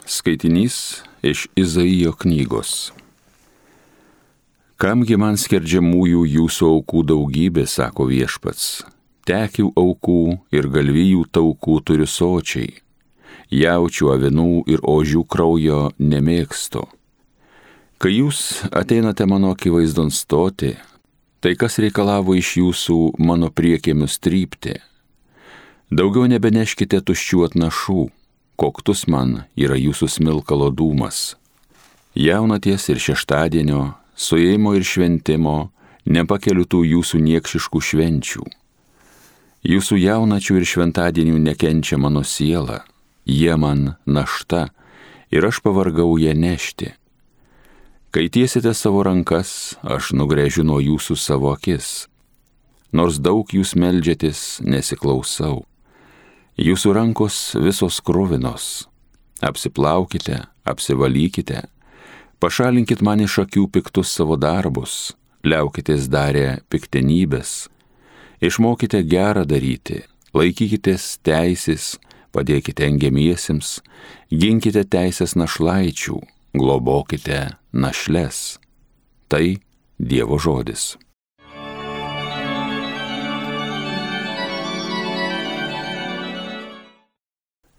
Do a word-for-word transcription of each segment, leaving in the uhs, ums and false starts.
Skaitinys iš Izaijo knygos. Kamgi man skerdžiamųjų jūsų aukų daugybė, sako viešpats, tekių aukų ir galvijų taukų turiu sočiai, jaučių, avinų ir ožių kraujo nemėgstu. Kai jūs ateinate mano akivaizdon stoti, tai kas reikalavo iš jūsų mano priekėmius trypti? Daugiau nebeneškite tuščių atnašų, koktus man yra jūsų smilkalo dūmas. Jaunaties ir šeštadienio, suėjimo ir šventimo, nepakeliu tų jūsų niekšiškų švenčių. Jūsų jaunačių ir šventadienių nekenčia mano siela, jie man našta ir aš pavargau ją nešti. Kai tiesite savo rankas, aš nugrėžiu nuo jūsų savo akis. Nors daug jūs meldžiatės, nesiklausau. Jūsų rankos visos kruvinos. Apsiplaukite, apsivalykite, pašalinkit man iš akių piktus savo darbus, liaukitės darę piktenybės, išmokite gerą daryti, laikykitės teisės, padėkite engiamiesiems, ginkite teisės našlaičių, globokite našles. Tai Dievo žodis.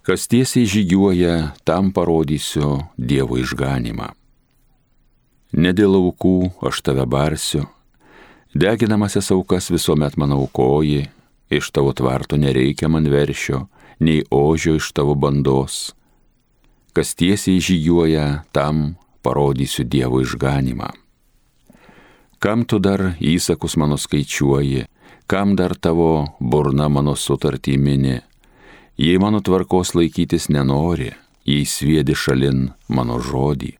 Kas tiesiai žygiuoja, tam parodysiu Dievo išganymą. Ne dėl aukų aš tave barsiu, deginamasias aukas visuomet man aukoji, iš tavo tvarto nereikia man veršio, nei ožio iš tavo bandos. Kas tiesiai žygiuoja, tam parodysiu Dievo išganymą. Kam tu dar įsakus mano skaičiuoji, kam dar tavo burna mano sutartį mini? Jei mano tvarkos laikytis nenori, jei sviedi šalin mano žodį,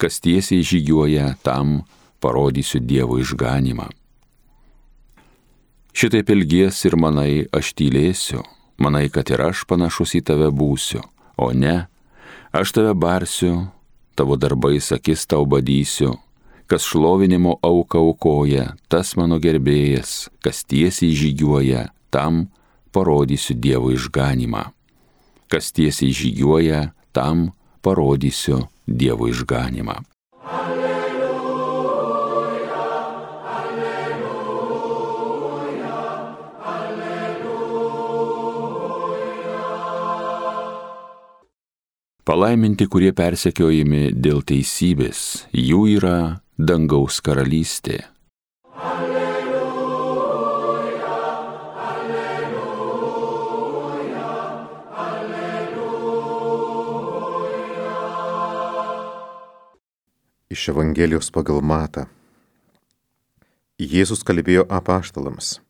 kas tiesiai žygiuoja, tam parodysiu Dievo išganymą. Šitaip ilgies ir manai, aš tylėsiu, manai, kad ir aš panašus į tave būsiu, o ne, aš tave barsiu, tavo darbais akis tau badysiu, kas šlovinimo auką aukoja, tas mano gerbėjas, kas tiesiai žygiuoja, tam parodysiu Dievo išganymą. Kas tiesiai žygiuoja, tam parodysiu Dievo išganymą. Alleluja, alleluja, alleluja. Palaiminti, kurie persekiojami dėl teisybės, jų yra dangaus karalystė. Iš Evangelijos pagal Matą. Jėzus kalbėjo apaštalams: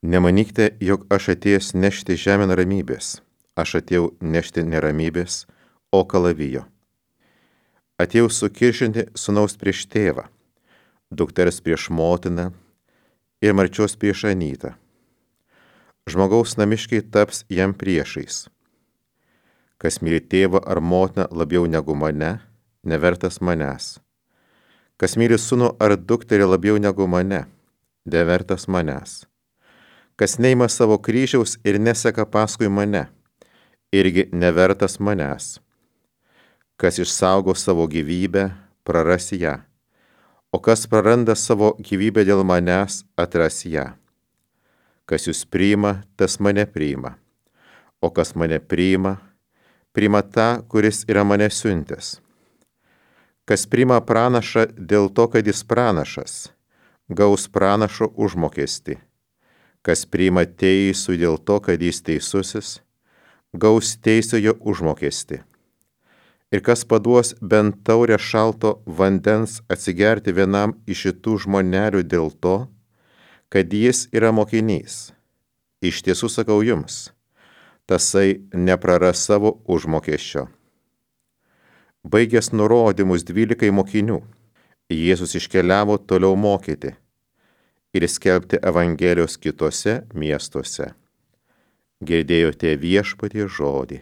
Nemanykite, jog aš atėjęs nešti žemėn ramybės. Aš atėjau nešti neramybės, o kalavijo. Atėjau sukiršinti sūnaus prieš tėvą, dukters prieš motiną ir marčios prieš anytą. Žmogaus namiškiai taps jam priešais. Kas myli tėvą ar motiną labiau negu mane, nevertas manęs. Kas myli sūnų ar dukterį labiau negu mane, nevertas manęs. Kas neima savo kryžiaus ir neseka paskui mane, irgi nevertas manęs. Kas išsaugo savo gyvybę, praras ją, o kas praranda savo gyvybę dėl manęs, atras ją. Kas jūs priima, tas mane priima, o kas mane priima, priima tą, kuris yra mane siuntęs. Kas priima pranašą dėl to, kad jis pranašas, gaus pranašo užmokestį. Kas priima teisų dėl to, kad jis teisusis, gaus teisiojo užmokestį. Ir kas paduos bent taurę šalto vandens atsigerti vienam iš šitų žmonelių dėl to, kad jis yra mokinys. Iš tiesų sakau jums, tasai nepraras savo užmokesčio. Baigęs nurodymus dvylikai mokinių, Jėzus iškeliavo toliau mokyti ir skelbti Evangelijos kitose miestuose. Girdėjote Viešpaties žodį.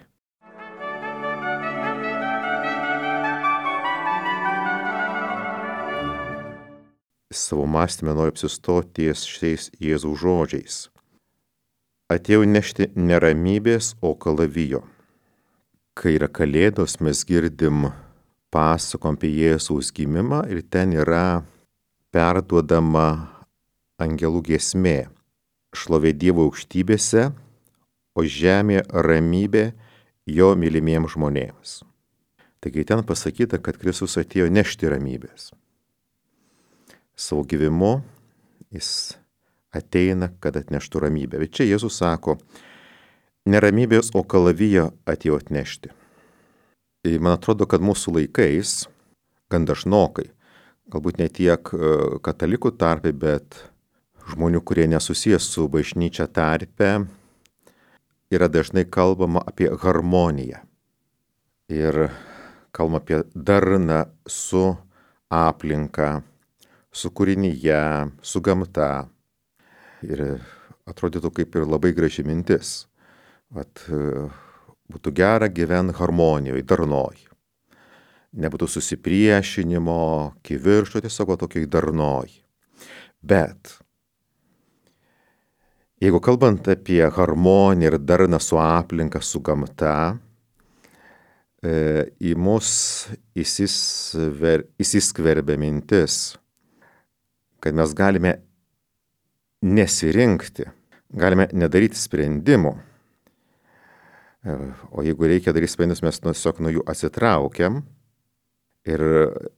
Savo mąstymę noriu apsistoti ties šiais Jėzaus žodžiais. Atėjau nešti neramybės, o kalavijo. kai yra Kalėdos, mes girdim pasakom apie Jėzaus gimimą ir ten yra perduodama angelų giesmė. Šlovė Dievo aukštybėse, o žemė ramybė jo mylimiems žmonėms. Taigi ten pasakyta, kad Kristus atėjo nešti ramybės. Savo gyvimu jis ateina, kad atneštų ramybę. Bet čia Jėzus sako, ne ramybės, o kalavijo atėjo atnešti. Ir man atrodo, kad mūsų laikais, gan dažnokai, galbūt ne tiek katalikų tarpe, bet žmonių, kurie nesusijęs su bažnyčia tarpe, yra dažnai kalbama apie harmoniją. Ir kalbama apie darną su aplinka, su kūrinyje, su gamta. Ir atrodytų kaip ir labai graži mintis. Vat, būtų gera gyventi harmonijoje, darnoj. Nebūtų susipriešinimo, kiviršto, tiesiog tokiai darnoj. Bet jeigu kalbant apie harmoniją ir darną su aplinka, su gamta, e, į mus įsisver, įsiskverbia mintis, kad mes galime nesirinkti, galime nedaryti sprendimų. E, o jeigu reikia daryti sprendimus, mes tiesiog nuo jų atsitraukiam ir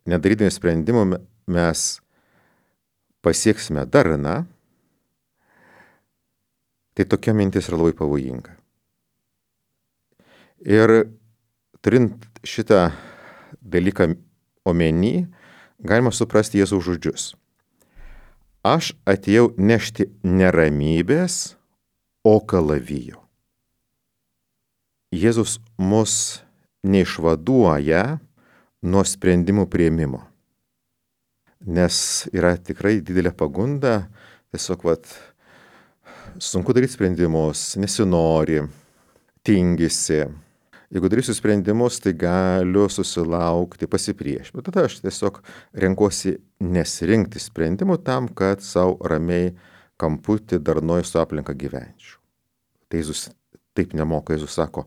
nedarydami sprendimų mes pasieksime darną. Tai tokia mintis yra labai pavojinga. Ir turint šitą dalyką omeny, galima suprasti Jėzaus žodžius. Aš atėjau nešti neramybės, o kalavijo. Jėzus mus neišvaduoja nuo sprendimų priėmimo. Nes yra tikrai didelė pagunda, tiesiog vat, sunku daryti sprendimus, nesinori, tingisi. Jeigu darysiu sprendimus, tai galiu susilaukti pasipriešinimo. Tada aš tiesiog renkuosi nesirinkti sprendimų tam, kad savo ramiai kamputį darnoj su aplinka gyvenčiau. Tai Jėzus taip nemoka. Jėzus sako,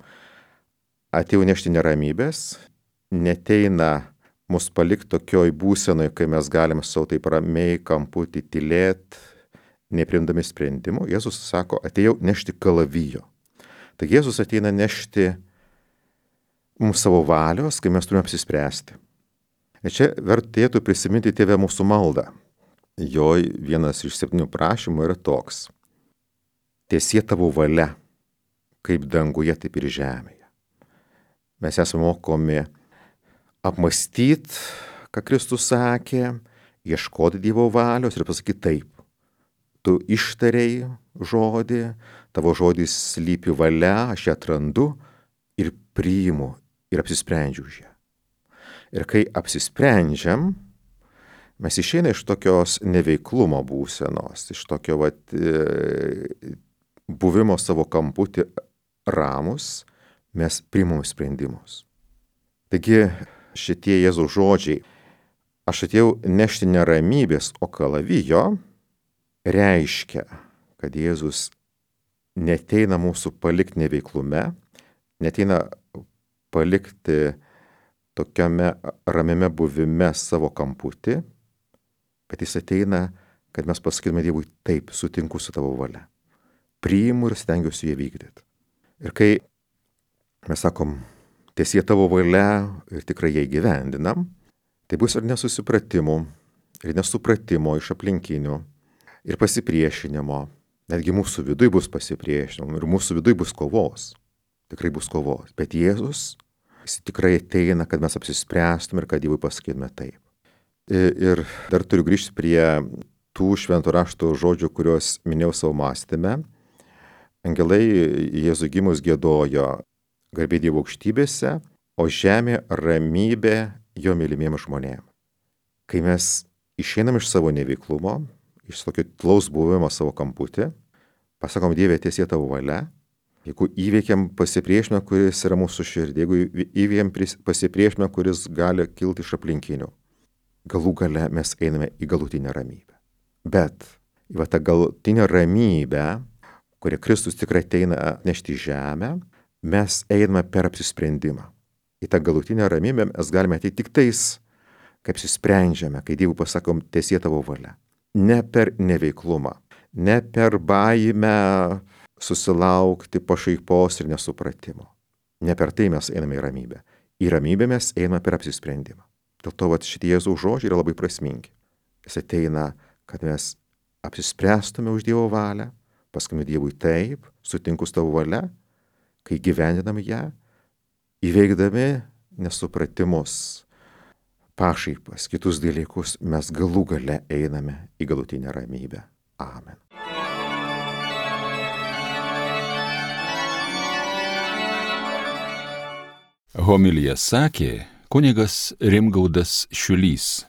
atėjau nešti neramybės, neteina mus palikti tokioj būsenoj, kai mes galime savo taip ramiai kamputį tylėti, neprimdami sprendimų. Jėzus sako, atėjau nešti kalavijo. Taigi Jėzus ateina nešti mums savo valios, kai mes turime apsispręsti. Ir čia vertėtų prisiminti Tėve mūsų maldą. Jo vienas iš septynių prašymų yra toks. Tiesie tavo valia, kaip danguje, taip ir žemėje. Mes esame mokomi apmastyti, ką Kristus sakė, ieškoti Dievo valios ir pasakyti taip. Tu ištarei žodį, tavo žodis slypi valia, aš ją atrandu ir priimu ir apsisprendžiu už ją. Ir kai apsisprendžiam, mes išeina iš tokios neveiklumo būsenos, iš tokio vat, e, buvimo savo kamputį ramus, mes priimam sprendimus. Taigi šitie Jėzaus žodžiai, aš atėjau nešti neramybės, o kalavijo, reiškia, kad Jėzus neteina mūsų palikti neveiklume, neteina palikti tokiame ramiame buvime savo kamputį, bet jis ateina, kad mes pasakytume Dievui, taip, sutinku su tavo valia. Priimu ir stengiuosi ją vykdyti. Ir kai mes sakom, tiesie tavo valia ir tikrai ją įgyvendinam, tai bus ir nesusipratimų, ir nesupratimo iš aplinkinių, ir pasipriešinimo. Netgi mūsų viduj bus pasipriešinimo ir mūsų viduj bus kovos. Tikrai bus kovos. Bet Jėzus, jis tikrai ateina, kad mes apsispręstume ir kad Dievui pasakytume taip. Ir dar turiu grįžti prie tų švento rašto žodžių, kuriuos minėjau savo mąstyme. Angelai Jėzui gimus giedojo garbė Dievo aukštybėse, o žemė ramybė jo mylimiems žmonėms. Kai mes išeinam iš savo neveiklumo, iš tokio tlaus buvimo savo kamputį, pasakom Dieve, tiesie tavo valia, jeigu įveikiam pasipriešinimą, kuris yra mūsų širdį, jeigu įveikiam pasipriešinimą, kuris gali kilti iš aplinkinių, galų gale mes einame į galutinę ramybę. Bet į va tą galutinę ramybę, kurią Kristus tikrai ateina nešti į žemę, mes einame per apsisprendimą. Į tą galutinę ramybę mes galime ateiti tik tais, kai apsisprendžiame, kai Dievui pasakom, teesie tavo valia. Ne per neveiklumą, ne per baimę susilaukti pašaipos ir nesupratimo. Ne per tai mes einame į ramybę. Į ramybę mes einame per apsisprendimą. Dėl to vat, šitie Jėzaus žodžiai yra labai prasmingi. Jis ateina, kad mes apsispręstume už Dievo valią, paskui Dievui taip, sutinku su tavo valia, kai gyvendiname ją, įveikdami nesupratimus, pašaipas, kitus dalykus, mes galų gale einame į galutinę ramybę. Amen. Homiliją sakė kunigas Rimgaudas Šiulys.